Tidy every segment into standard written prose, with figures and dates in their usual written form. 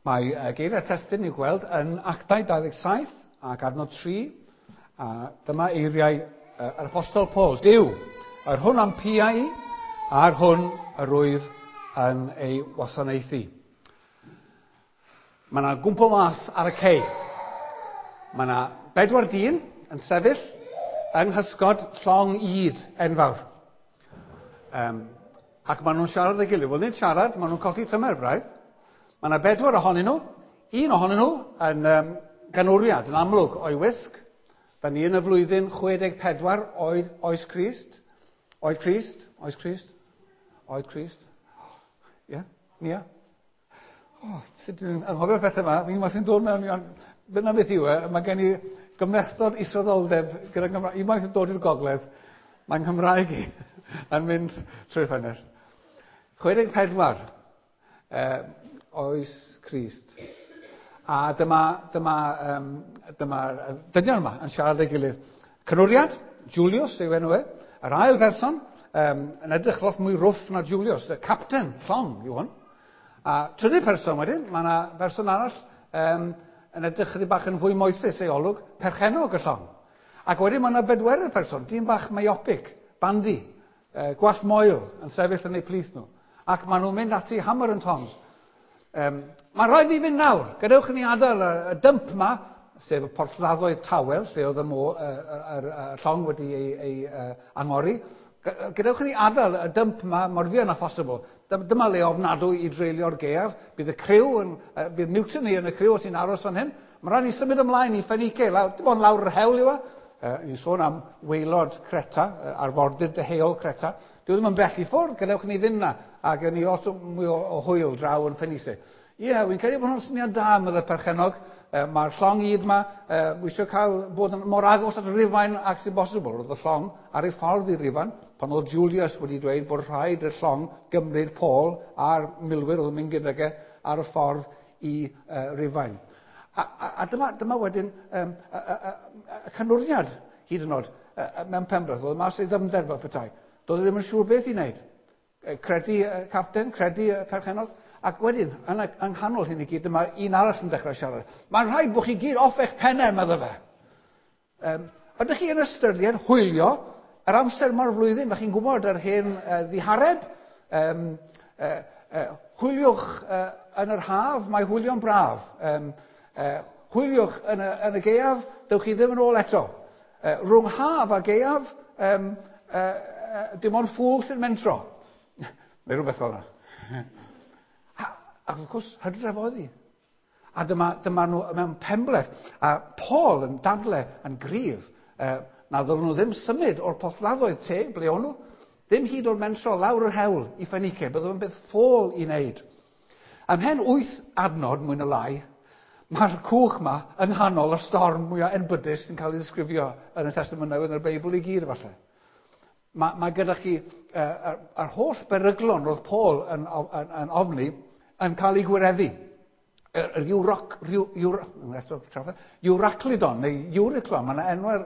Mae geiriau testun i'w gweld yn Actau 27 ac adnod 3, a dyma eiriau yr Apostol Paul. Duw, yr hwn am piau i, a'r hwn yr wyf yn ei wasanaethu. Mae yna gwmpo mas ar y cei. Mae yna bedwar dyn yn sefyll yng nghysgod llong ŷd enfawr. Ac maen nhw'n siarad â'i gilydd. Wel, nid siarad, maen nhw'n codi tymer braidd. Mae yna bedwar ohonyn nhw. Un ohonyn nhw yn ganwriad, yn amlwg o'i wisg. Da ni yn y flwyddyn 64 oed oes Crist. Oed Crist? Oes Crist? Oed Crist? Ie? Yeah? Nia? Oh, sut dwi'n anghofio'r pethau yma? Fi'n sy'n dod mewn i... Ond dyna beth yw e. Mae gen i gymhlethdod israddoldeb gyda Nghymraeg. Unwaith yn dod i'r gogledd, mae'n Nghymraeg i yn mynd trwy'r ffenest. 64, oes Crist. A dyma dynion yma yn siarad â'i gilydd. Canwriad, Julius yw enw e. Yr ail berson, yn edrych lot mwy rwff na Julius, y capten llong yw hwn. A trydydd person wedyn, mae yna berson arall yn edrych chydig bach yn fwy moethus ei olwg, perchennog y llong. Ac wedyn mae yna bedwerydd person, dyn bach myopic, bandi, gwallt moel yn sefyll yn eu plith nhw. Ac maen nhw'n mynd ati hammer and tongs. Mae rhaid ni fynd nawr. Gadewch i ni adael y dymp yma, sef y porthladdoedd tawel, lle oedd y, mo, y, y, y, y llong wedi ei angori. Gadewch i ni adael y dymp yma mor fuan â phosibl. Dyma le ofnadwy i dreulio'r gaeaf. Bydd y criw, yn, bydd mutiny yn y criw os ni'n aros fan hyn. Mae rhaid ni symud ymlaen i Ffenike, lawr, dim ond lawr yr hewl yw e. Ni'n sôn am waelod Creta, arfordir deheuol Creta. Dyw e ddim yn bell i ffwrdd, gadewch i ni fynd na, a gen ni lot mwy o hwyl draw yn Ffenise. Ie, yeah, wy'n credu bod hwnna'n syniad da, meddai perchennog. Mae'r llong ŷd yma, wi eisiau cael bod yn mor agos at Rufain ag sy'n bosibl. Roedd y llong ar ei ffordd i Rufain, pan oedd Julius wedi dweud bod rhaid i'r llong gymryd Paul a'r milwyr oedd yn mynd gydag e ar y ffordd i Rufain. A dyma wedyn y canwriad hyd yn oed mewn penbleth. Oedd mas ei ddyfnder fel petai. Doedd e ddim yn siŵr beth i wneud. Credu y capten, credu y perchennog. Ac wedyn, yng nghanol hyn i gyd, dyma un arall yn dechrau siarad. Mae'n rhaid bod chi gyd off eich pennau, medde fe. Ydych chi yn ystyried hwylio yr amser mae'r flwyddyn? Ydych chi'n gwybod yr hen ddihareb? Hwyliwch yn yr haf, mae hwylio'n braf. Hwyliwch yn y gaeaf, dewch chi ddim yn ôl eto. Rhwng haf a gaeaf, dim ond ffŵl sy'n mentro. Neu rhywbeth fel yna. Ac wrth gwrs, hydref oedd hi. A dyma nhw mewn penbleth. A Paul yn dadle yn gryf na ddylen nhw ddim symud o'r porthladdoedd teg, ble o'n nhw, ddim hyd o'r mentro lawr yr hewl i Ffenike. Bydd o'n beth ffôl i wneud. Ymhen 8 adnod, mwy na lai, mae'r cwch yma yng nghanol y storm mwyaf enbydus sy'n cael ei ddisgrifio yn y Testament Newydd yn y Beibl i gyd, falle. Mae gyda chi yr holl beryglon roedd Paul yn ofni yn cael ei gwireddu. Yr Euroclydon neu Euriclon, mae yna enwau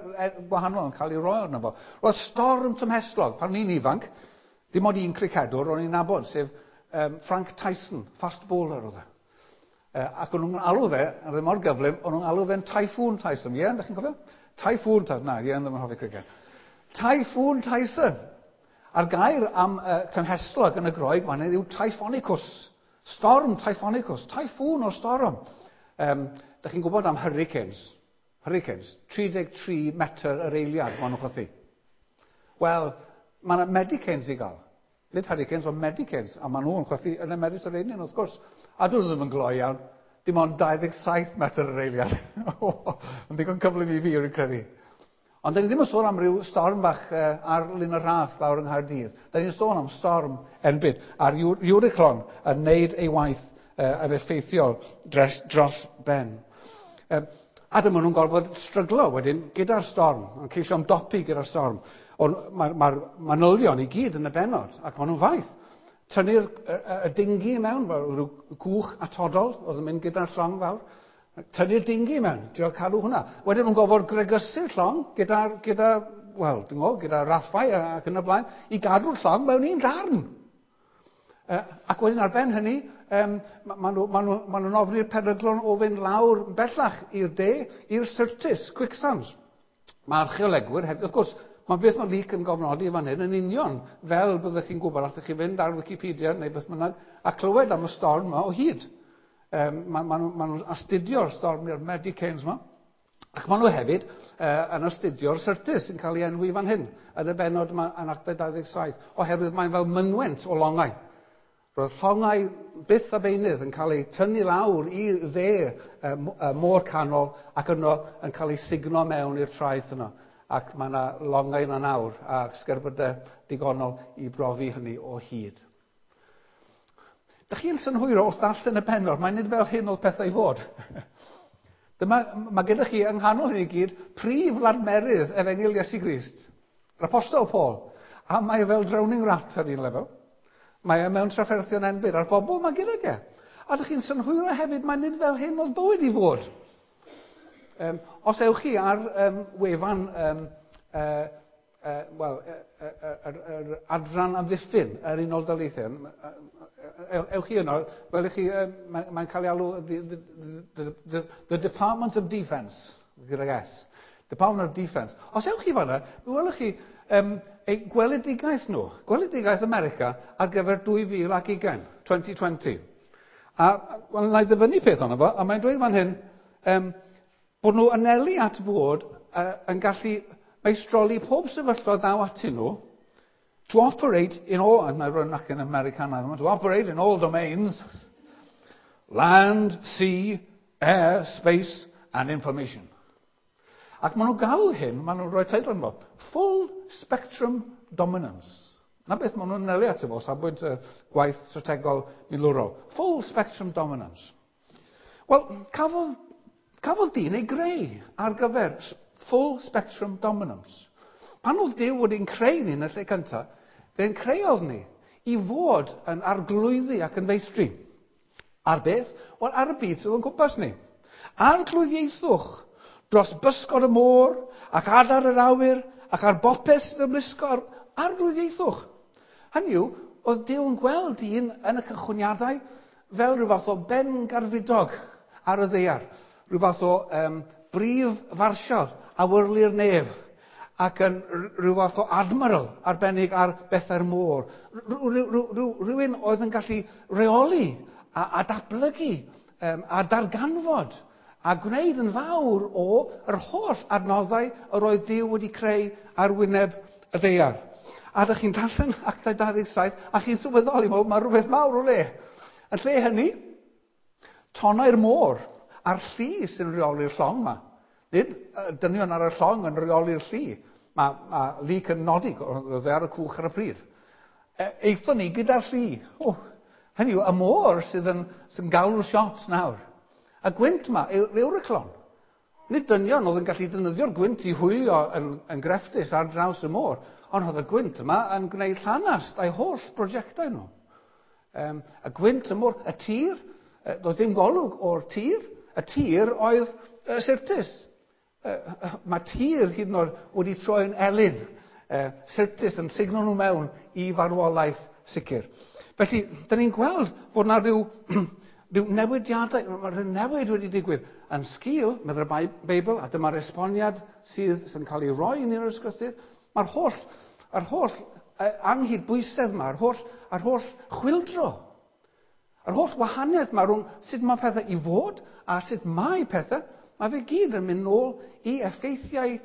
gwahanol yn cael ei roi arno fo. Roedd storm tymhestlog, pan o'n i'n ifanc, dim ond un cricedwr o'n i'n nabod, sef Frank Tyson, fast bowler oedd e. Ac o'n nhw'n alw fe, a oedd e mor gyflym, o'n nhw'n alw fe'n Typhoon Tyson. Ie, ydych chi'n cofio? Typhoon Tyson, na, ie, ddim yn hoffi criced. Typhoon Tyson. A'r gair am tymhestlog yn y Groeg fan hyn yw Typhonicus. Storm Typhonicus. Typhoon o storm. Dych chi'n gwybod am hurricanes? Hurricanes. 33 metr yr eiliad maen nhw'n chwythu. Wel, mae yna medicanes i gael. Nid hurricanes, ond medicanes. A maen nhw'n chwythu yn y Mediterranean, wrth gwrs. A dyn nhw ddim yn gloi iawn. Dim ond 27 metr yr eiliad. Yn ddigon cyflym i fi, rwy'n credu. Ond da ni ddim yn sôn am ryw storm bach ar Lyn y Rhath lawr yng Nghaerdydd. Da ni'n sôn am storm enbyd. A'r Euroclon yn neud ei waith yn effeithiol dros ben. A dyma nhw'n gorfod stryglo wedyn gyda'r storm, yn ceisio ymdopi gyda'r storm. Ond mae'r manylion i gyd yn y bennod, ac maen nhw'n faith. Tynnu'r y dingi mewn, fel rhyw cwch atodol oedd yn mynd gyda'r llong fawr. Tynnu'r dingi mewn, trio cadw hwnna. Wedyn nhw'n gorfod gregysu'r llong gyda, wel, dwi'n gwybod, gyda raffau ac yn y blaen, i gadw'r llong mewn un darn. Ac wedyn ar ben hynny, maen nhw'n ma nhw, ma nhw ofni'r peryglon o fynd lawr bellach i'r de, i'r Syrtis, quicksands. Mae archeolegwyr hefyd, wrth gwrs, mae beth mae Luc yn gofnodi fan hyn yn union fel byddwch chi'n gwybod, allwch chi fynd ar Wikipedia neu beth bynnag a clywed am y storm yma o hyd. Maen ma nhw'n ma nhw astudio'r storm i'r Medicanes yma. Ac maen nhw hefyd yn astudio'r Syrtis sy'n cael ei enwi fan hyn, yn y bennod yma yn Actau 27, oherwydd mae'n fel mynwent o longau. Roedd llongau byth a beunydd yn cael eu tynnu lawr i dde y môr canol ac yno yn cael eu sugno mewn i'r traeth yno. Ac mae yna longau yna nawr a sgerbydau digonol i brofi hynny o hyd. Dych chi'n synhwyro wrth ddarllen y bennod, mae'n nid fel hyn oedd pethau i fod. Dyma, mae gyda chi yng nghanol hyn i gyd prif ladmerydd Efengyl Iesu Grist, yr Apostol Paul, a mae fel drowning rat ar un lefel. Mae e mewn trafferthion enbyd, a'r bobl mae gyda e. A dych chi'n synhwyro hefyd, mae nid fel hyn oedd bywyd i fod. Os ewch chi ar wefan wel, yr adran amddiffyn yr Unol Daleithiau, ewch chi yno, fel i chi, mae'n cael ei alw the Department of Defence, gydag S. Department of Defence. Os ewch chi fanna, fe welwch chi eu gweledigaeth nhw, gweledigaeth America ar gyfer 2020, 2020. A wel, na i ddyfynnu peth ono fo, a mae'n dweud fan hyn, bod nhw anelu at fod yn gallu meistroli pob sefyllfa ddaw atyn nhw, to operate in all, and mae'n rhywun ac yn Americanaidd, to operate in all domains, land, sea, air, space and information. Ac maen nhw'n galw hyn, maen nhw'n rhoi teitl yno, Full Spectrum Dominance. Na beth maen nhw'n anelu ato fo, safbwynt gwaith strategol milwrol. Full Spectrum Dominance. Wel, cafodd dyn ei greu ar gyfer Full Spectrum Dominance. Pan oedd Duw wedi'n creu ni yn y lle cyntaf, fe'n creodd ni i fod yn arglwyddi ac yn feistri. Ar beth? Wel, ar y byd sydd o'n cwmpas ni. Arglwyddiaethwch dros bysgod y môr ac adar yr awyr ac ar bopeth sydd ymlusgo ar arglwyddiaethwch. Hynny yw, oedd Duw yn gweld dyn yn y cychwyniadau fel rhyw fath o ben garfidog ar y ddaear, rhyw fath o brif farsial awyrlu'r nef ac yn rhyw fath o admiral arbennig ar bethau'r môr. Rhywun oedd yn gallu reoli a datblygu a darganfod a gwneud yn fawr o yr holl adnoddau yr oedd Duw wedi creu ar wyneb y ddaear. A ydych chi'n darllen Actau 27 a chi'n sylweddoli, mae rhywbeth mawr o le. Yn lle hynny, tonnau'r môr a'r lli sy'n rheoli'r llong yma. Nid dynion ar y llong yn rheoli'r lli. Mae Luc yn nodi, oedd e ar y cwch ar y pryd. Aethon ni gyda'r lli. O, hynny yw, y môr sydd yn galw'r shots nawr. Y gwynt yma yw'r Euroclon. Nid dynion oedd yn gallu defnyddio'r gwynt i hwylio yn grefftus ar draws y môr, ond oedd y gwynt yma yn gwneud llanast a'i holl brosiectau nhw. Y gwynt y môr, y tir, doedd dim golwg o'r tir, y tir oedd Syrtis. Mae tir hyd yn oed wedi troi'n elyn. Syrtis yn sugno nhw mewn i farwolaeth sicr. Felly, dyn ni'n gweld fod yna rhyw newidiadau, mae rhyw newid wedi digwydd yn sgil, meddai'r Beibl, a dyma'r esboniad sydd yn cael ei roi yn yr ysgrythur. Mae'r holl anghydbwysedd yma, yr holl chwyldro, yr holl wahaniaeth yma rhwng sut mae pethau i fod a sut mae pethau, mae fe gyd yn mynd nôl i effeithiau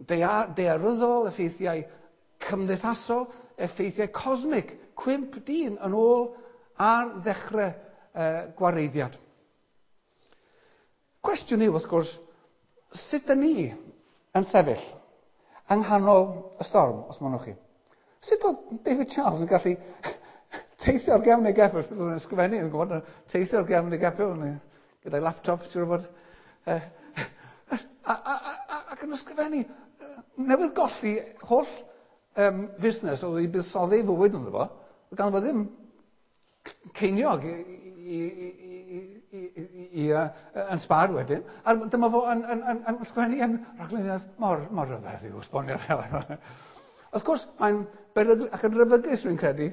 daearyddol, effeithiau cymdeithasol, effeithiau cosmic, cwymp dyn yn ôl ar ddechrau gwareiddiad. Cwestiwn yw, wrth gwrs, sut dyn ni yn sefyll yng nghanol y storm, os mynnwch chi? Sut oedd David Charles yn gallu teithio ar gefn ei geffyl? Sut oedd yn ysgrifennu, yn gwybod, teithio ar gefn ei geffyl gyda'i laptop, siŵr o fod, ac yn ysgrifennu, newydd golli holl fusnes oedd wedi buddsoddi ei fywyd ynddo fo, oedd ganddo fo ddim ceiniog yn sbar wedyn. A dyma fo yn ysgrifennu yn rhagluniaeth mor rhyfedd i'w esbonio. Wrth gwrs, mae'n berygl ac yn rhyfygus, rwy'n credu,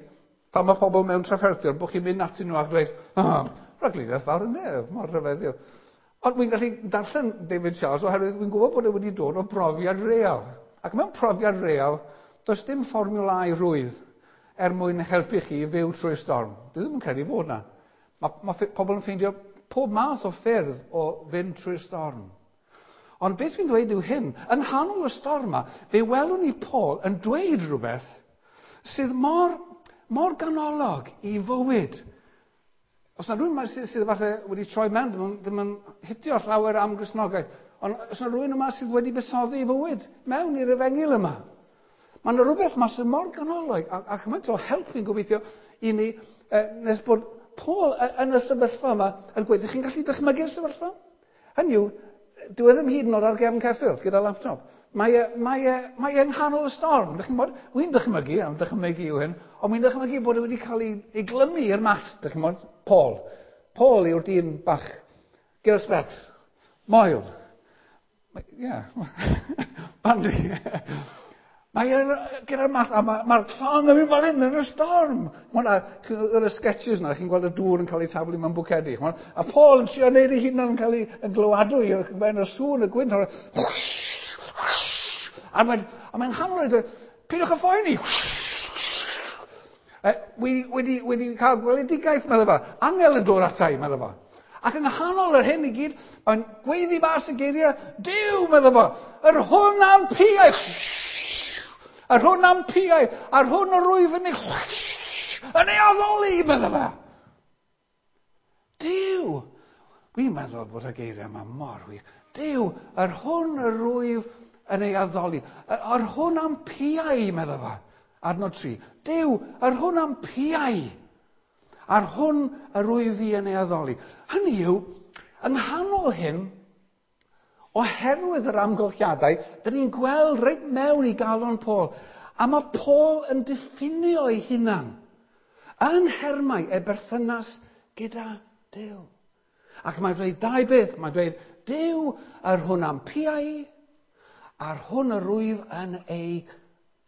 Pan mae pobl mewn trafferthion, bod chi'n mynd atyn nhw a dweud, oh, rhagluniaeth fawr y nef, mor rhyfeddiol. Ond wy'n gallu darllen David Charles oherwydd wy'n gwybod bod e wedi dod o brofiad real. Ac mewn profiad real, does dim fformiwlau rwydd er mwyn helpu chi i fyw trwy'r storm. Dwi ddim yn credu fod na. Mae pobl yn ffeindio pob math o ffyrdd o fynd trwy'r storm. Ond beth fi'n dweud yw hyn, yng nghanol y storm yma, fe welwn ni Paul yn dweud rhywbeth sydd mor, mor ganolog i fywyd. Os yna rhywun yma sydd, sydd falle wedi troi mewn, ddim yn, ddim yn hitio llawer am Gristnogaeth, ond os yna rhywun yma sydd wedi buddsoddi i fywyd mewn i'r efengyl yma, mae yna rhywbeth yma sydd mor ganolog a, a chymaint o help fi'n gobeithio i ni nes bod Paul yn y sefyllfa yma yn gweud, ydych chi'n gallu dychmygu'r sefyllfa? Hynny yw, dyw e ddim hyd yn oed ar gefn ceffyl gyda laptop. Mae e, mae e, mae e yng nghanol y storm. Dych chi'n bod? Wy'n dychmygu, am dychmygu yw hyn, ond wy'n dychmygu bod e wedi cael ei, ei glymu i'r mast, dych chi'n bod? Paul. Paul yw'r dyn bach gyda'r specs. Moel. Ie. Yeah. Bandy. Mae e gyda'r math, a mae'r ma llong yn mynd fel hyn yn y storm. Mae yna, y sketches yna, chi'n gweld y dŵr yn cael ei taflu mewn bwcedi. A Paul yn trio neud ei hunan yn cael ei yn glywadwy, mae'n y sŵn, y gwynt, a mae'n a mae'n hanol i dweud, peidiwch â phoeni. Wi wedi, wedi cael gweledigaeth, meddwl fo. Angel yn dod ata i, meddwl fo. Ac yng nghanol yr hyn i gyd, mae'n gweiddi mas y geiriau, Duw, meddwl fo, yr hwn am piau, yr hwn am piau, a'r hwn yr wyf yn ei, yn ei addoli, meddwl fo. Duw, wi'n meddwl bod y geiriau yma mor wych. Duw, yr hwn yr wyf yn ei addoli, yr hwn am piau, meddwl fo. Adnod 3. Duw, yr hwn am piau, a'r hwn yr wyf fi yn ei addoli. Hynny yw, yng nghanol hyn, oherwydd yr amgylchiadau, dyn ni'n gweld reit mewn i galon Paul. A mae Paul yn diffinio ei hunan yn nhermau ei berthynas gyda Duw. Ac mae'n dweud dau beth. Mae'n dweud, Duw, yr hwn am piau, a'r hwn yr wyf yn ei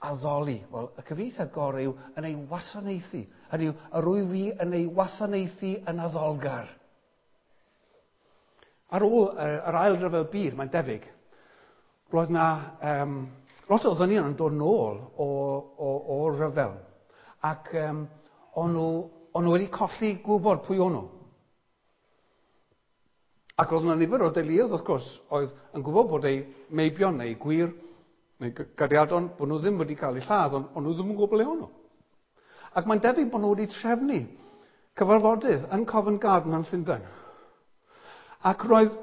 addoli. Wel, y cyfieithiad gorau yw yn ei wasanaethu. Hynny yw, yr wyf fi yn ei wasanaethu yn addolgar. Ar ôl yr ail ryfel byd, mae'n debyg, roedd na lot o ddynion yn dod nôl o, o, o ryfel. Ac o'n, nhw, o'n nhw wedi colli gwybod pwy o'n nhw. Ac roedd yna nifer o deuluoedd, wrth gwrs, oedd yn gwybod bod eu meibion neu gwŷr neu gariadon, bod nhw ddim wedi cael eu lladd, ond o'n nhw ddim yn gwybod ble o'n nhw. Ac mae'n debyg bod nhw wedi trefnu cyfarfodydd yn Covent Garden yn Llundain. Ac roedd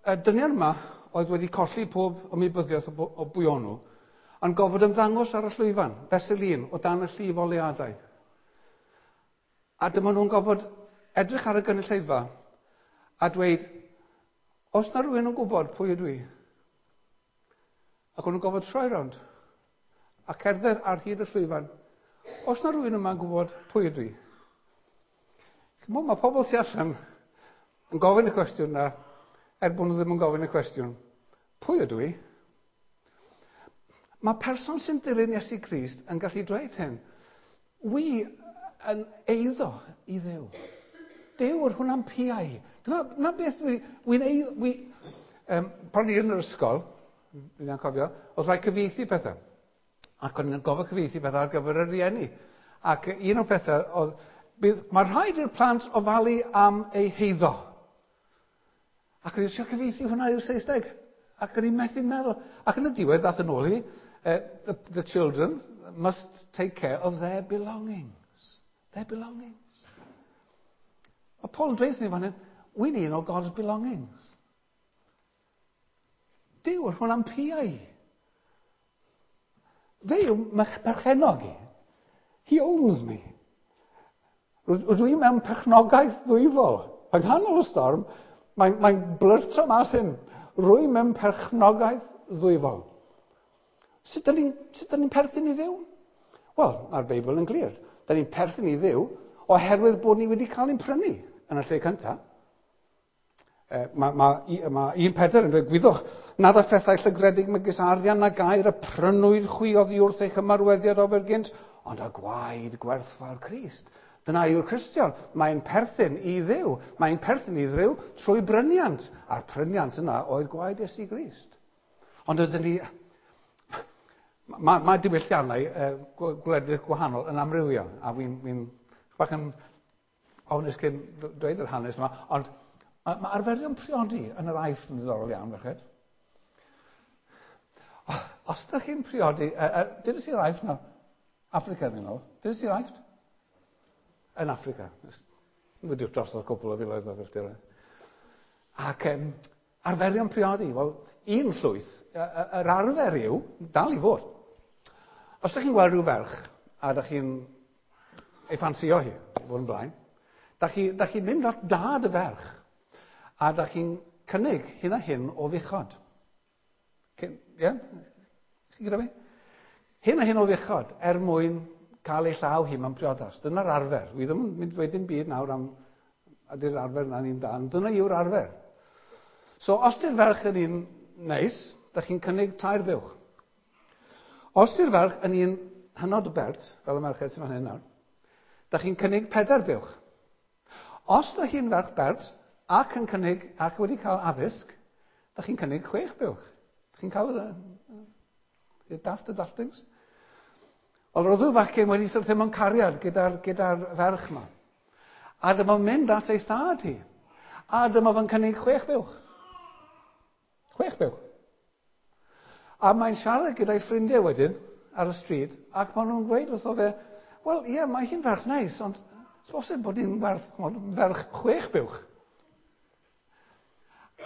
y dynion yma oedd wedi colli pob ymwybyddiaeth o, o bwy o'n nhw, yn gofod ymddangos ar y llwyfan, fesul un, o dan y llif oleuadau. A dyma nhw'n gofod edrych ar y gynulleidfa a dweud, os na rhywun yn gwybod pwy ydw i, ac o'n nhw'n gofod troi rownd a cerdded ar hyd y llwyfan, os na rhywun yma'n gwybod pwy ydw i. Chimod, mae pobl tu allan yn gofyn y cwestiwn na, er bod nhw ddim yn gofyn y cwestiwn, pwy ydw i? Mae person sy'n dilyn Iesu Grist yn gallu dweud hyn. Wi yn eiddo i Dduw. Duw yr hwnna'n piau. Dyna, dyna beth dwi, wy'n eiddo... Wi, pan i yn yr ysgol, dwi'n cofio, oedd rhaid cyfieithu pethau. Ac o'n i'n gofio cyfieithu pethau ar gyfer y rieni. Ac un o'r pethau oedd, bydd, mae rhaid i'r plant ofalu am eu heiddo. Ac o'n i'n trio cyfieithu hwnna i'r Saesneg. Ac o'n i'n methu meddwl. Ac yn y diwedd, ddath yn ôl i, the children must take care of their belongings. Their belongings. Mae Paul yn dweud ni fan hyn, wy'n un o God's belongings. Duw, yr hwn am piau. Fe yw perchennog i. He owns me. Rydw i mewn perchnogaeth ddwyfol. Yng nghanol y storm, mae'n mae blurto mas hyn. Rwy mewn perchnogaeth ddwyfol. Sut ydyn ni'n ni perthyn i Dduw? Wel, mae'r Beibl yn glir. Dyn ni'n perthyn i Dduw oherwydd bod ni wedi cael ein prynu yn y lle cyntaf. Mae ma, ma 1 Pedr yn dweud, gwyddwch, nad y phethau llygredig megis arian na gair y prynwyd chwi oddi wrth eich ymarweddiad ofer gynt, Ond â gwaed gwerthfawr Crist. Dyna yw'r Cristion. Mae'n perthyn i Dduw. Mae'n perthyn i Dduw trwy bryniant. A'r pryniant yna oedd gwaed Iesu Grist. Ond ydyn ni... Mae diwylliannau gwledydd gwahanol yn amrywio. A fi'n bach yn ofnus cyn dweud yr hanes yma, ond mae arferion priodi yn yr Aifft yn ddiddorol iawn, ferched. Os ydych chi'n priodi... Dydych chi'r Aifft nawr? Africa, fi'n meddwl. Dydych chi'r Aifft? Yn Africa. Wedi'r drosodd cwpl o filoedd o filltiroedd. Ac arferion priodi, wel, un llwyth, yr arfer yw, dal i fod. Os ydych chi'n gweld rhyw ferch, a ydych chi'n ei ffansio hi, i fod yn blaen, da chi'n mynd at dad y ferch, a da chi'n cynnig hyn a hyn o fuchod. Ie? Yeah? Chi'n gyda fi? Hyn a hyn o fuchod er mwyn cael ei llaw hi mewn priodas. Dyna'r arfer. Wi ddim yn mynd i ddweud dim byd nawr am ydy'r arfer yna'n un da, ond dyna yw'r arfer. So, os di'r ferch yn un neis, da chi'n cynnig 3 buwch. Os di'r ferch yn un hynod o bert, fel y merched sy'n fan hyn nawr, da chi'n cynnig 4 buwch. Os da chi'n ferch bert ac yn cynnig ac wedi cael addysg, da chi'n cynnig 6 buwch. Chi'n cael y daft y daftings? Wel, roedd y fachgen wedi syrthio mewn cariad gyda'r ferch yma. A dyma mynd at ei thad hi. A dyma fo'n cynnig 6 buwch. 6 buwch. A mae'n siarad gyda'i ffrindiau wedyn ar y stryd, ac maen nhw'n gweud wrtho fe, wel, ie, mae hi'n ferch neis, ond bosib bod hi'n werth ferch 6 buwch.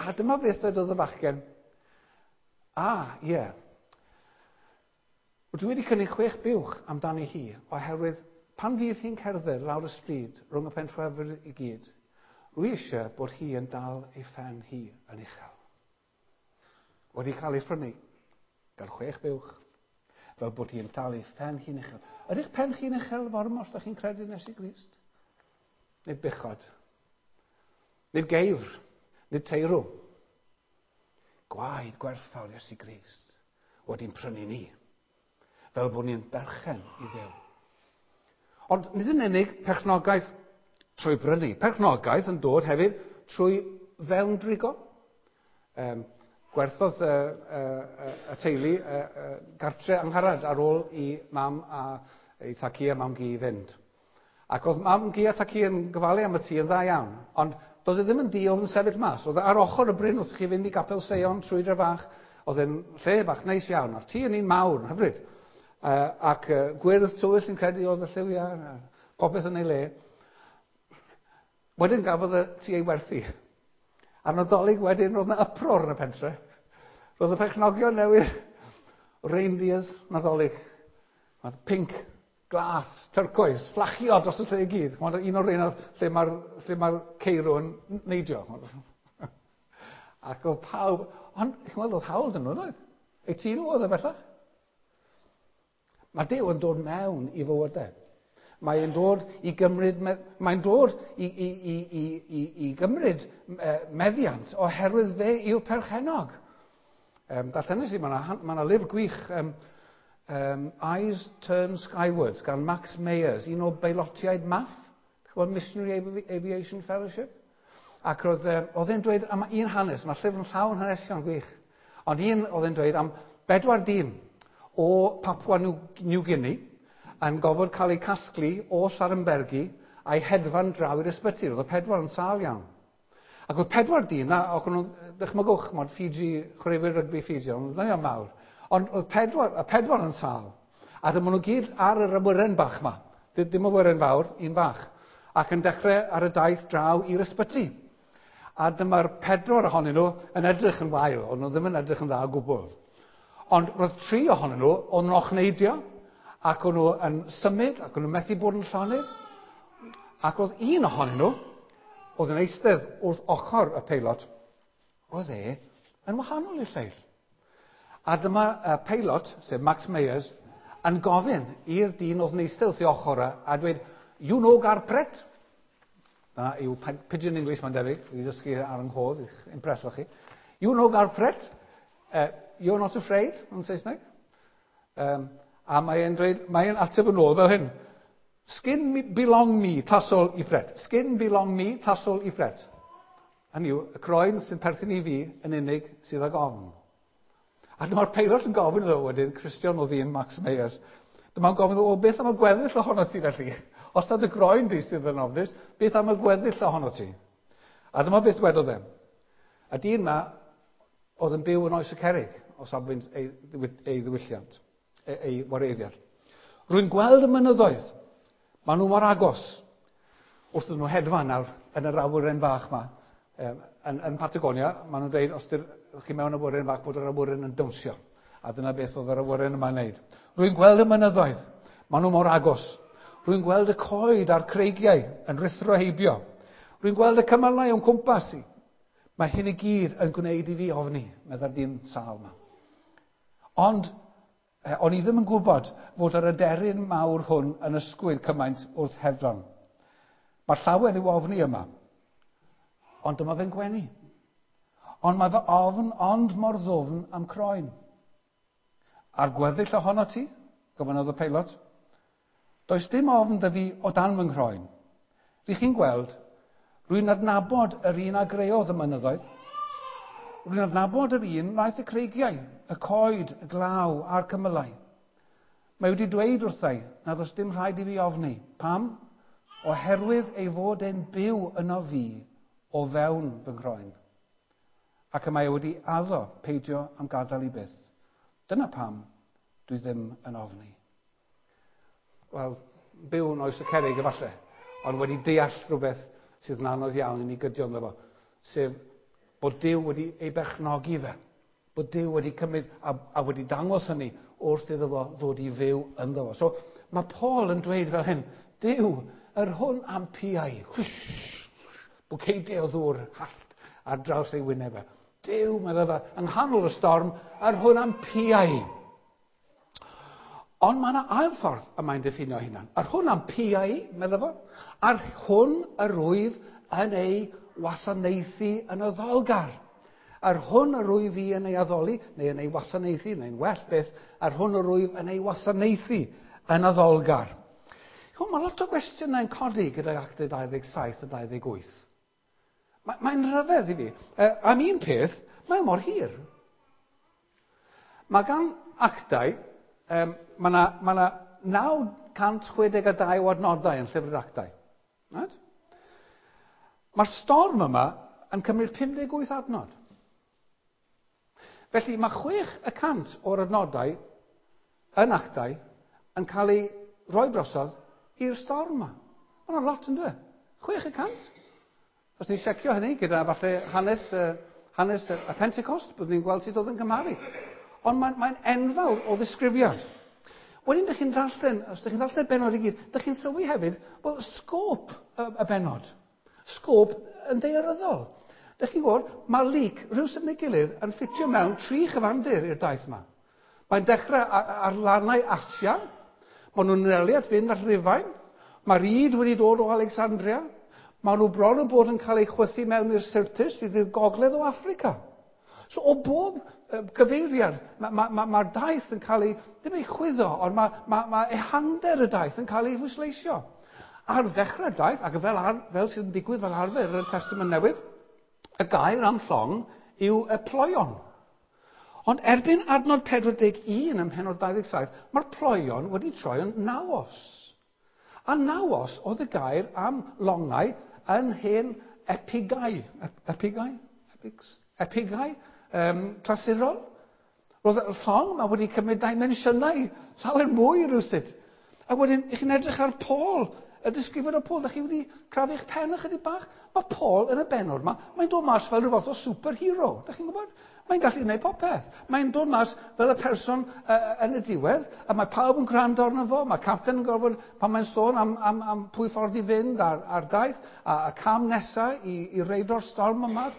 A dyma beth dwedodd y bachgen. A, ie. Dwi wedi cynnig 6 buwch amdani hi, oherwydd pan fydd hi'n cerdded lawr y stryd rhwng y pentrefwyr i gyd, rwy eisiau bod hi yn dal ei phen hi yn uchel. Wedi cael ei phrynu gan 6 buwch, fel bod hi'n dal ei phen hi'n uchel. Ydych pen chi'n uchel fore yma os ydych chi'n credu yn Iesu Grist? Nid buchod, nid geifr, nid teirw. Gwaed gwerthfawr Iesu Grist wedi'n prynu ni, fel bod ni'n berchen i Dduw. Ond nid yn unig perchnogaeth trwy brynu, perchnogaeth yn dod hefyd trwy fewn-drigo. Gwerthodd y teulu gartre Angharad ar ôl i mam a ei tacu a mam-gu i fynd. Ac oedd mam-gu a tacu yn gofalu am y tŷ yn dda iawn, ond doedd e ddim yn dŷ oedd yn sefyll mas. Oedd e ar ochr y bryn wrth i chi fynd i Gapel Seion trwy dre fach, oedd e'n lle bach neis iawn, a'r tŷ yn un mawr, yn hyfryd. Ac gwyrdd tywyll yn credu oedd y lliwiau, popeth yn ei le. Wedyn gafodd y tŷ ei werthu. A'r Nadolig wedyn, roedd yna uproar yn y pentre. Roedd y perchnogion newydd reindeers Nadolig. Mae'n pink, glas, turquoise, fflachio dros y lle i gyd. Mae'n un o'r rheina lle mae'r ceirw yn neidio. Ac oedd pawb... Ond, chi'n gweld, oedd hawl dyn nhw, oedd? Eu tŷ nhw oedd e bellach. Mae Duw yn dod mewn i fywydau. Mae'n dod i gymryd, mae'n dod i gymryd meddiant oherwydd fe yw'r perchennog. Darllenes i, mae yna lyfr gwych, Eyes Turn Skywards gan Max Mayers, un o beilotiaid MAF, Missionary Aviation Fellowship. Ac oedd e'n dweud am un hanes, mae'r llyfr yn llawn hanesion gwych, ond un oedd e'n dweud am 4 dyn o Papua New Guinea yn gofod cael eu casglu o Saranbergi a'i hedfan draw i'r ysbyty. Roedd y 4 yn sâl iawn. Ac oedd 4 dyn, a oedd nhw, dychmygwch, mod Fiji, chwaraewyr rygbi Fiji, ond ddynion mawr. Ond oedd y 4 yn sâl. A dyma nhw gyd ar yr awyren bach yma. Dim awyren fawr, un fach. Ac yn dechrau ar y daith draw i'r ysbyty. A dyma'r 4 ohonyn nhw yn edrych yn wael, ond nhw ddim yn edrych yn dda o gwbl. Ond roedd 3 ohonyn nhw, o'n nhw'n ochneidio, ac o'n nhw yn symud, ac o'n nhw'n methu bod yn llonydd. Ac roedd un ohonyn nhw, oedd yn eistedd wrth ochr y peilot, roedd e yn wahanol i'r lleill. A dyma y peilot, sef Max Mayers, yn gofyn i'r dyn oedd yn eistedd wrth ei ochr a dweud, "You know Garpret?" Dyna yw pidgin English mae'n debyg, i ddysgu ar yng nghof, i'ch impreso chi. "You know Garpret? You're not afraid," yn Saesneg. A mae'n dweud, mae'n ateb yn ôl fel hyn. Skin belong me, tasol i Fred. Skin belong me, tasol i Fred. Hynny yw, y croen sy'n perthyn i fi yn unig sydd ag ofn. A dyma'r peilot yn gofyn iddo wedyn, Christian o ddyn Max Meyers, dyma'n gofyn iddo, o beth am y gweddill ohono ti felly? Os nad y groen di sydd yn ofnus, beth am y gweddill ohono ti? A dyma beth wedodd e. Y dyn ma oedd yn byw yn oes y cerig, o safbwynt ei, ei ddiwylliant, ei, ei wareiddiad. Rwy'n gweld y mynyddoedd. Maen nhw mor agos. Wrth nhw hedfan nawr yn yr awyren fach yma. Yn, yn Patagonia, maen nhw'n dweud, os ydych chi mewn awyren fach, bod yr awyren yn dawnsio. A dyna beth oedd yr awyren yma'n neud. Rwy'n gweld y mynyddoedd. Maen nhw mor agos. Rwy'n gweld y coed a'r creigiau yn rhuthro heibio. Rwy'n gweld y cymylau o'n cwmpas i. Mae hyn i gyd yn gwneud i fi ofni, meddai'r dyn sâl yma. Ond o'n i ddim yn gwybod fod yr aderyn mawr hwn yn ysgwyd cymaint wrth hedfan. Mae llawer i'w ofni yma. Ond dyma fe'n gwenu. Ond mae fy ofn ond mor ddwfn am croen. A'r gweddill ohono ti? Gofynnodd y peilot. Does dim ofn 'da fi o dan fy nghroen. Rych chi'n gweld, rwy'n adnabod yr un a greodd y mynyddoedd. Rwy'n adnabod yr un wnaeth y creigiau, y coed, y glaw a'r cymylau. Mae wedi dweud wrthai nad oes dim rhaid i fi ofni. Pam? Oherwydd ei fod e'n byw yno fi o fewn fy nghroen. Ac y mae e wedi addo peidio am gadael i byth. Dyna pam dwi ddim yn ofni. Wel, byw yn oes y cerrig efallai, ond wedi deall rhywbeth sydd yn anodd iawn i ni gydio ynddo fo, sef bod Duw wedi ei berchnogi fe, bod Duw wedi cymryd a, a wedi dangos hynny wrth iddo fo ddod i fyw ynddo fo. So mae Paul yn dweud fel hyn, Duw, yr hwn am piau, hwsh, bwceidiau o ddŵr hallt ar draws ei wyneb e. Duw, meddai fe, yng nghanol y storm, yr hwn am piau. Ond mae yna ail ffordd y mae'n diffinio hunan. Yr hwn am piau, meddai fo, a'r hwn yr wyf yn ei wasanaethu yn addolgar. Yr hwn yr wyf i yn ei addoli, neu yn ei wasanaethu, neu'n well beth, yr hwn yr wyf yn ei wasanaethu yn addolgar. Chwn, mae lot o gwestiynau'n codi gydag Actau 27 a 28. Mae'n rhyfedd i fi. Am un peth, mae mor hir. Mae gan Actau, mae yna ma 962 o adnodau yn llyfr yr Actau. Right? Mae'r storm yma yn cymryd 58 adnod. Felly mae 6% o'r adnodau yn Actau yn cael ei roi drosodd i'r storm yma. Mae hwnna'n lot yn dweud. 6%. Os ni'n siecio hynny gyda falle hanes, hanes y Pentecost, byddwn ni'n gweld sut oedd yn cymharu. Ond mae'n mae enfawr o ddisgrifiad. Wedyn, ydych chi'n darllen, os ydych chi'n darllen y bennod i gyd, ydych chi'n sylwi hefyd, wel, sgôp y, y bennod. Sgôp yn ddaearyddol. Ydych chi'n gwybod, mae Luc, rhywsut neu gilydd, yn ffitio mewn tri chyfandir i'r daith yma. Mae'n dechrau ar lannau Asia, maen nhw'n anelu at fynd at Rufain, mae'r ŷd wedi dod o Alexandria, maen nhw bron yn bod yn cael eu chwythu mewn i'r Syrtis sydd i'r gogledd o Affrica. So o bob gyfeiriad, mae'r ma, ma, ma daith yn cael ei, ddim ei chwyddo, ond mae ma, ma ehangder y daith yn cael ei phwysleisio. Ar ddechrau'r daith, ac fel, ar, fel sydd yn digwydd fel arfer yn y Testament Newydd, y gair am llong yw y ploion. Ond erbyn adnod 41 ym mhennod 27, mae'r ploion wedi troi yn naos. A naos oedd y gair am longau yn hen epigau. Epigau? Epics? Epigau? Clasurol. Roedd y llong yma wedi cymryd dimensiynau llawer mwy rhywsut. A wedyn, i chi'n edrych ar Paul, y disgrifiad o Paul, da chi wedi crafu'ch pen ychydig bach? Mae Paul yn y bennod yma, mae'n dod mas fel rhyw fath o superhero. Da chi'n gwybod? Mae'n gallu gwneud popeth. Mae'n dod mas fel y person yn y diwedd, a mae pawb yn gwrando arno fo. Mae capten yn gorfod, pan mae'n sôn am, am, am pwy ffordd i fynd ar, ar daith, a, a cam nesaf i, i reido'r storm yma.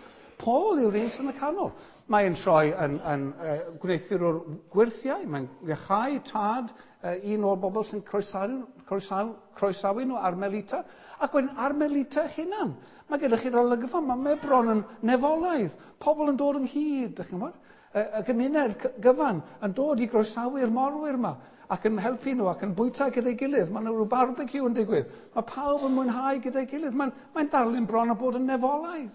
Paul yw'r un sy'n y canol. Mae'n troi yn, yn uh, gwneuthurwr gwyrthiau, mae'n iachau tad uh, un o'r bobl sy'n croesawu, croesawu, croesawu nhw ar Melita. Ac wedyn ar Melita hunan. Mae gyda chi'r olygfa, mae, mae bron yn nefolaidd. Pobl yn dod ynghyd, ydych chi'n gwybod? Y gymuned gyfan yn dod i groesawu'r morwyr yma ac yn helpu nhw ac yn bwyta gyda'i gilydd. Mae yna rhyw barbecue yn digwydd. Mae pawb yn mwynhau gyda'i gilydd. Mae'n darlun bron o bod yn nefolaidd.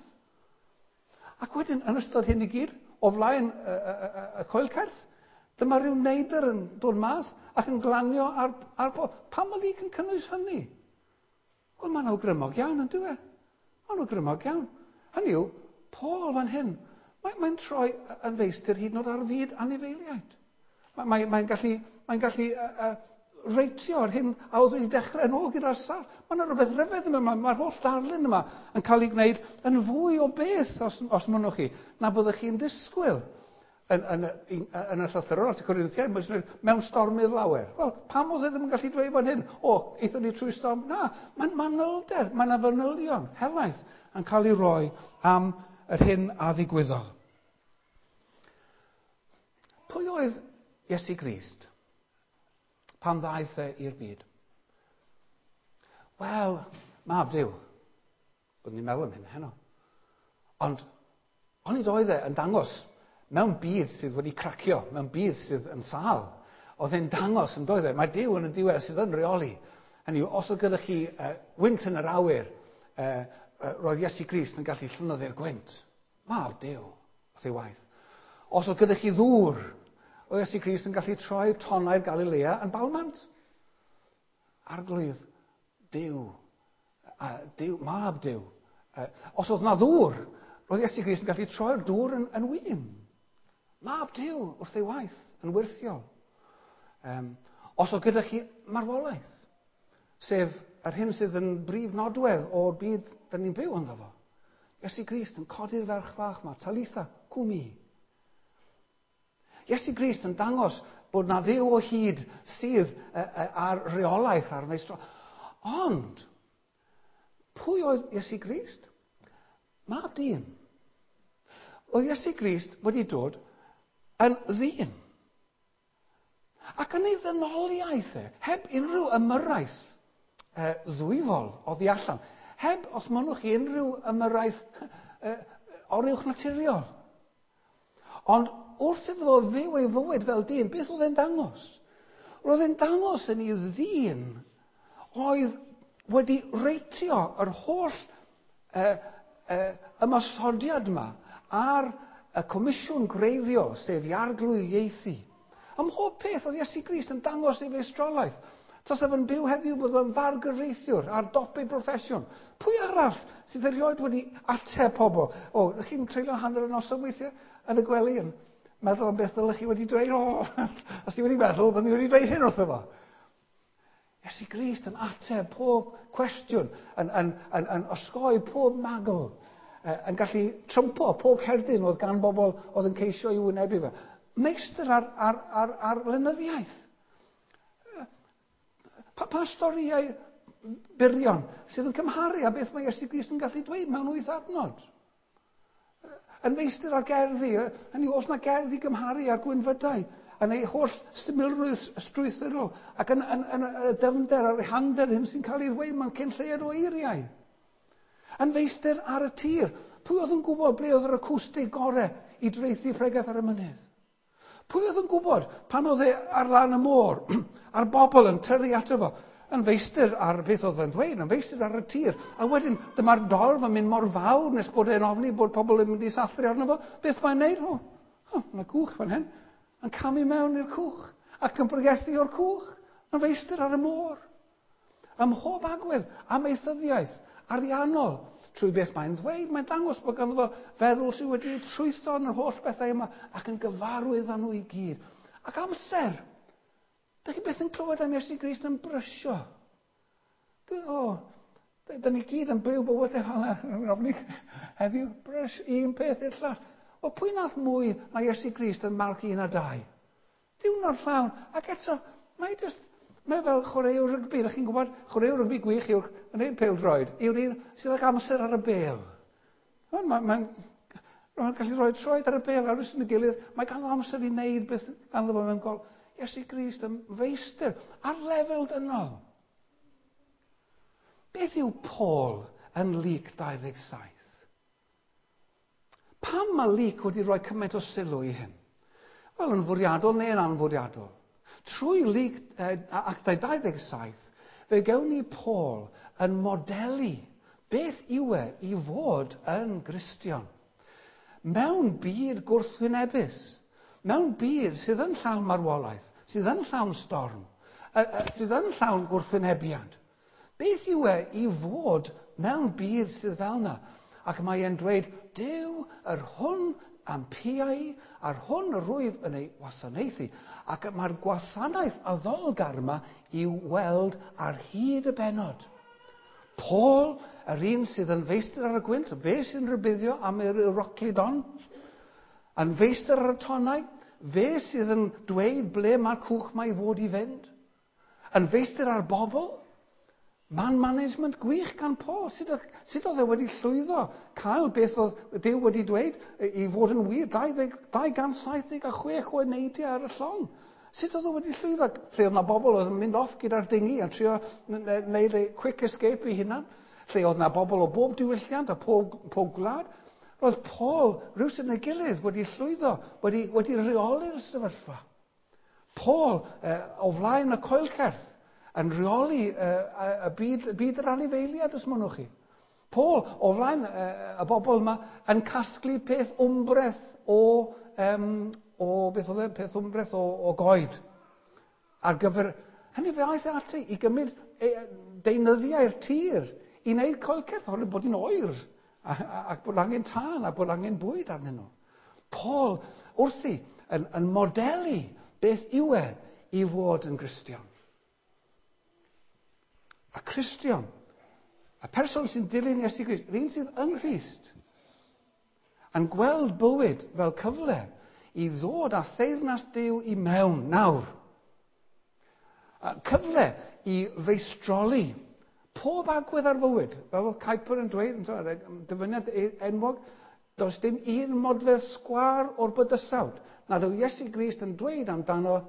Ac wedyn, yn ystod hyn i gyd, o flaen y coelcerth, dyma rhyw neidr yn dod mas ac yn glanio ar Paul. Pam oedd hi'n cynnwys hynny? Wel, mae'n awgrymog iawn, yn dyw e? Mae'n awgrymog iawn. Hynny yw, Paul fan hyn, mae'n troi yn feistr hyd yn oed ar fyd anifeiliaid. Mae'n gallu reitio ar hyn a oedd wedi dechrau yn ôl gyda'r sarff. Mae yna rhywbeth rhyfedd yma, mae'r holl darlun yma yn cael ei gwneud yn fwy o beth, os mynnwch chi, na byddwch chi'n disgwyl. Yn y llythyrol at y Corinthiaid, mewn stormydd lawer. Wel, pam oedd e ddim yn gallu dweud fan hyn? O, aethon ni trwy storm? Na, mae'n manylder, mae yna fanylion helaeth yn cael ei roi am yr hyn a ddigwyddodd. Pwy oedd Iesu Grist pan ddaeth e i'r byd? Wel, mab Duw. Byddwn ni'n meddwl am hyn heno. Ond onid oedd e yn dangos mewn byd sydd wedi cracio, mewn byd sydd yn sâl, oedd e'n dangos yn doedd e, mae Duw yn y diwedd sydd yn reoli. Hynny yw, os oedd gyda chi wynt yn yr awyr, roedd Iesu Grist yn gallu llynyddu'r gwynt. Mab Duw, wrth ei waith. Os oedd gyda chi ddŵr, oedd Iesu Grist yn gallu troi tonnau'r Galilea yn balmant. Arglwydd Duw, Duw, mab Duw. Os oedd na ddŵr, roedd Iesu Grist yn gallu troi'r dŵr yn win. Mab Duw wrth ei waith, yn wyrthiol. Os oedd gyda chi marwolaeth, sef yr hyn sydd yn brif nodwedd o'r byd dyn ni'n byw ynddo fo. Iesu Grist yn codi'r ferch fach yma, Talitha, cwmi. Iesu Grist yn dangos bod na Dduw o hyd sydd ar reolaeth ar meistro. Ond, pwy oedd Iesu Grist? Mab dyn. Oedd Iesu Grist wedi dod yn ddyn. Ac yn ei ddynoliaeth e, heb unrhyw ymyrraeth ddwyfol oddi allan, heb, os mynnwch chi, unrhyw ymyrraeth oruwch naturiol. Ond wrth iddo fo fyw ei fywyd fel dyn, beth oedd e'n dangos? Roedd e'n dangos yn ei ddyn oedd wedi reitio yr holl ymosodiad yma ar y comisiwn gwreiddiol, sef i arglwyddiaethu. Ym mhob peth oedd Iesu Grist yn dangos ei feistrolaeth. Tasa fe'n byw heddiw bydd o'n fargyfreithiwr ar dop ei broffesiwn. Pwy arall sydd erioed wedi ateb pobl? O, ydych chi'n treulio hanner y noson weithiau yn y gwely yn meddwl am beth ddylech chi wedi dweud? O, os ti wedi meddwl, byddwn ni wedi dweud hyn wrtho fo. Iesu Grist yn ateb pob cwestiwn, yn osgoi pob magl, yn gallu trympo pob cerdyn oedd gan bobl oedd yn ceisio i wynebu fe. Meistr ar lenyddiaeth. Pa storïau byrion sydd yn cymharu â beth mae Iesu Grist yn gallu dweud mewn 8 adnod? Yn feistr ar gerddi, hynny yw, os na gerddi gymharu â'r gwynfydau, yn ei holl symlrwydd strwythurol ac yn y dyfnder a'r ehangder hyn sy'n cael ei ddweud mewn cyn lleied o eiriau. Yn feistr ar y tir, pwy oedd yn gwybod ble oedd yr acwstig gorau i draethu pregeth ar y mynydd? Pwy oedd yn gwybod pan oedd e ar lan y môr, a'r bobl yn tyrru ato fo, yn feistr ar beth oedd yn ddweud, yn feistr ar y tir, a wedyn dyma'r dorf yn mynd mor fawr nes bod e'n ofni bod pobl yn mynd i sathru arno fo. Beth mae'n neud? O, yna cwch fan hyn. Yn camu mewn i'r cwch ac yn pregethu o'r cwch, yn feistr ar y môr. Ym mhob agwedd, amaethyddiaeth, ariannol, trwy beth mae'n ddweud, mae'n dangos bod ganddo fo feddwl sydd wedi trwytho yn yr holl bethau yma ac yn gyfarwydd â nhw i gyd. Ac amser. Dych chi byth yn clywed am Iesu Grist yn brysio. Dyn ni gyd yn byw bywydau fel yna. Ofni heddiw, brys un peth i'r llall. Wel, pwy nath mwy mae Iesu Grist yn Marc 1 a 2? Diwrnod llawn. Ac eto, mae fel chwaraewr rygbi. Ydych chi'n gwybod, chwaraewr rygbi gwych yw'r yn pêl-droed, yw'r un sydd ag amser ar y bêl. Mae'n gallu rhoi troed ar y bêl ar yn y gilydd. Mae ganddo amser i wneud beth ganddo fo mewn gol. Iesu Grist yn feistr ar lefel dynol. Beth yw Paul yn Luc 27? Pam mae Luc wedi rhoi cymaint o sylw i hyn? Wel, yn fwriadol neu yn anfwriadol. Trwy Luc Actau 27, fe gewn ni Paul yn modelu beth yw e i fod yn Gristion. Mewn byd gwrthwynebus, mewn byd sydd yn llawn marwolaeth, sydd yn llawn storm, sydd yn llawn gwrthwynebiad. Beth yw e i fod mewn byd sydd fel yna? Ac mae e'n dweud, Duw, yr hwn am piau, a'r hwn yr rwyf yn ei wasanaethu. Ac mae'r gwasanaeth addolgar yma i'w weld ar hyd y bennod. Paul, yr un sydd yn feistr ar y gwynt, fe sy'n rhybuddio am yr Euroclydon, yn feistr ar y tonnau, fe sydd yn dweud ble mae'r cwch mae i fod i fynd, yn feistr ar bobl, man management gwych gan Paul. Sut, sut oedd e wedi llwyddo cael beth oedd Duw wedi dweud i fod yn wir, 276 o eneidiau ar y llong. Sut oedd o wedi llwyddo? Lle oedd yna bobl oedd yn mynd off gyda'r dingi a trio wneud ei quick escape i hunan. Lle oedd yna bobl o bob diwylliant a pob, pob gwlad. Roedd Paul, rhywsut neu gilydd, wedi llwyddo, wedi, wedi rheoli'r sefyllfa. Paul, o flaen y coelcerth, yn rheoli y byd, byd yr anifeiliad, os mynnwch chi. Paul, o flaen y bobl yma, yn casglu peth wmbreth o, um, o beth oedd e, peth wmbreth o, o goed. Ar gyfer, hynny fe aeth e ati i gymryd deunyddiau'r tir i wneud coelcerth, oherwydd bod hi'n oer, ac bod angen tân, a bod angen bwyd arnyn nhw. Paul wrthi yn, yn modelu beth yw e i fod yn Gristion. A Cristion, y person sy'n dilyn Iesu Grist, yr un sydd yng Nghrist, yn gweld bywyd fel cyfle i ddod â theyrnas Duw i mewn nawr. Cyfle i feistroli pob agwedd ar fywyd. Fel oedd Kuyper yn dweud, yn dyfyniad enwog, does dim un modfedd sgwâr o'r bydysawd nad yw Iesu Grist yn dweud amdano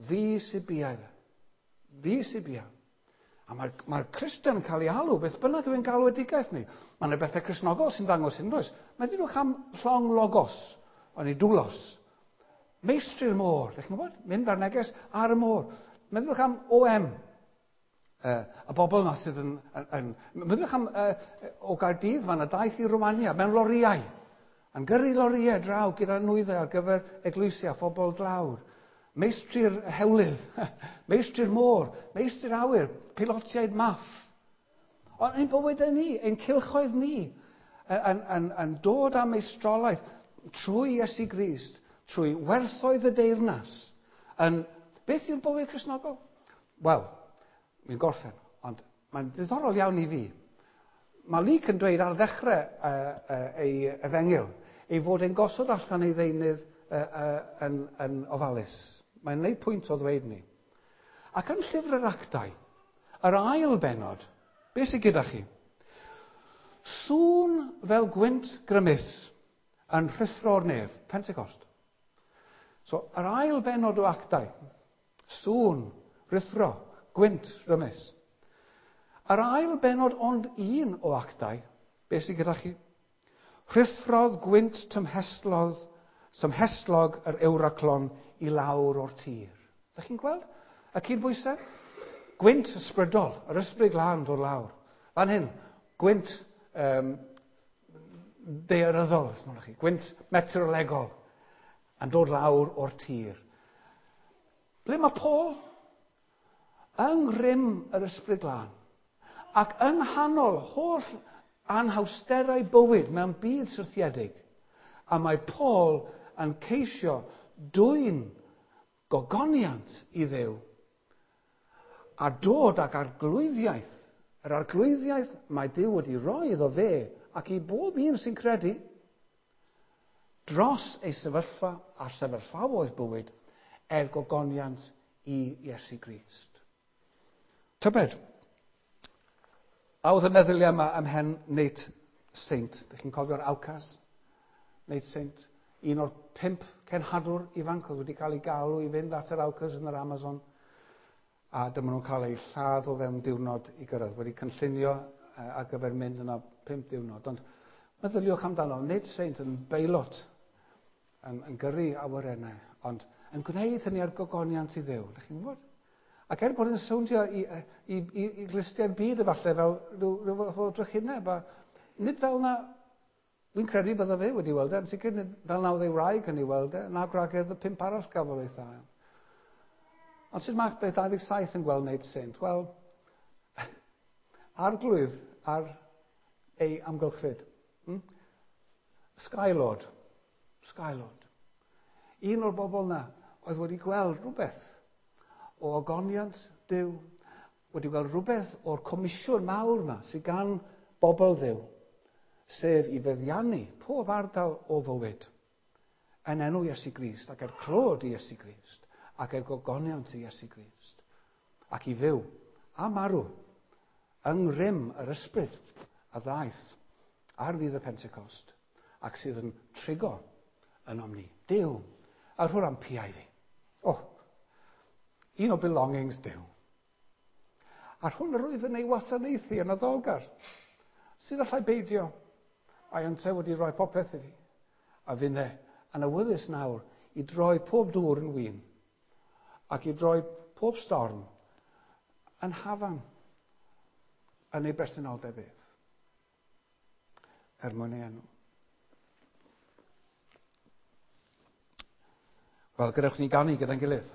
fi sy'n biau fe. Fi sy'n biau. A mae'r mae Cristion yn cael ei alw, beth bynnag yw'n galwedigaeth ni. Mae yna bethau Cristnogol sy'n dangos hyn, does? Meddyliwch am llong logos, o'n i dwlos. Meistri'r môr, ydych chi'n gwybod? Mynd ar neges ar y môr. Meddyliwch am OM, y bobl yma sydd yn... yn, yn meddyliwch am o Gaerdydd, mae yna daith i Romania mewn loriau. Yn gyrru loriau draw gyda nwyddau ar gyfer eglwysi a phobl dlawd. Meistri'r hewlydd, meistri'r môr, meistri'r awyr, pilotiaid maff. Ond ein bywydau ni, ein cylchoedd ni, yn, yn, yn dod â meistrolaeth trwy Iesu Grist, trwy werthoedd y deyrnas. Yn, beth yw'r bywyd Cristnogol? Wel, mi'n gorffen, ond mae'n ddiddorol iawn i fi. Mae Luc yn dweud ar ddechrau ei efengyl ei fod e'n gosod allan ei ddeunydd yn, yn ofalus. Mae'n gwneud pwynt o ddweud ni. Ac yn llyfr yr actau, yr ail bennod, beth sydd gyda chi? Sŵn fel gwynt grymus yn rhuthro'r nef, Pentecost. So, yr ail bennod o actau, sŵn, rhuthro, gwynt rymus. Yr ail bennod ond un o actau, beth sydd gyda chi? Rhuthrodd gwynt tymhestlodd, tymhestlog yr Euroclon i lawr o'r tir. Ydych chi'n gweld y cydbwysedd? Gwynt ysbrydol, yr ysbryd glân dod lawr. Fan hyn, gwynt um, daearyddol, os chi, gwynt meteorolegol yn dod lawr o'r tir. Ble mae Paul? Yng ngrym yr ysbryd glân. Ac yng nghanol holl anhawsterau bywyd mewn byd syrthiedig. A mae Paul yn ceisio dwyn gogoniant i Dduw a dod ag arglwyddiaeth, yr arglwyddiaeth mae Duw wedi roi iddo fe ac i bob un sy'n credu dros ei sefyllfa a sefyllfaoedd bywyd er gogoniant i Iesu Grist. Tybed, a oedd y meddyliau yma ym mhen Nate Saint? Dych chi'n cofio'r Aucas? Nate Saint, un o'r 5 cenhadwr ifanc oedd wedi cael ei galw i fynd at yr Aucas yn yr Amazon. A dyma nhw'n cael eu lladd o fewn diwrnod i gyrraedd, wedi cynllunio ar gyfer mynd yna 5 diwrnod. Ond meddyliwch amdano, Nate Saint yn beilot, yn, yn gyrru awyrennau, ond Yn gwneud hynny ar gogoniant i Dduw. Ydych chi'n gwybod? Ac er bod yn sowndio i glustiau'r byd efallai fel rhyw fath o drychineb, a nid fel na, wy'n credu bydde fe wedi weld e, yn sicr nid fel na oedd ei wraig yn ei weld e, na gwragedd y 5 arall gafodd ei thael. Ond sut mae beth 27 yn gweld wneud saint? Wel, arglwydd ar ei amgylchfyd. Skylord. Skylord. Un o'r bobl na oedd wedi gweld rhywbeth o ogoniant Duw, wedi gweld rhywbeth o'r comisiwn mawr yma sydd gan bobl Dduw, sef i feddiannu pob ardal o fywyd yn enw Iesu Grist ac er clod i Iesu Grist ac er gogoniant i Iesu Grist ac i fyw a marw yng ngrym yr ysbryd a ddaeth ar ddydd y Pentecost ac sydd yn trigo ynom ni. Duw, a rhw'r am piau fi. O, un o belongings Duw. A'r hwn yr wyf yn ei wasanaethu yn addolgar, sydd allai beidio, a'i yntau wedi rhoi popeth i fi. A finne yn awyddus nawr i droi pob dŵr yn win, ac i droi pob storm yn hafan yn ei bresenoldeb ef, er mwyn ei enw. Wel, gadewch ni ganu gyda'n gilydd.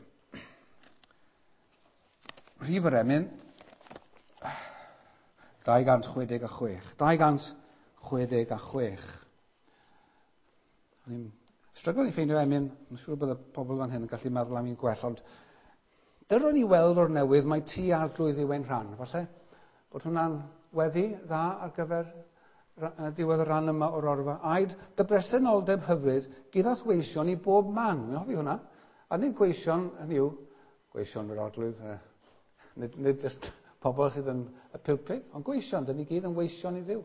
Rhif yr emyn, 266. 266. O'n i'n stryglo i ffeindio emyn, yn siŵr bod y pobl fan hyn yn gallu meddwl am un gwell, ond dyro ni weld o'r newydd mae ti arglwydd yw ein rhan. Falle bod hwnna'n weddi dda ar gyfer diwedd y rhan yma o'r orfa. Aed dy bresenoldeb hyfryd gyda's weision i bob man. Wi'n hoffi hwnna. A nid gweision, hynny yw, gweision yr arglwydd, nid just pobl sydd yn y pulpit, ond gweision, dyn ni gyd yn weision i Dduw.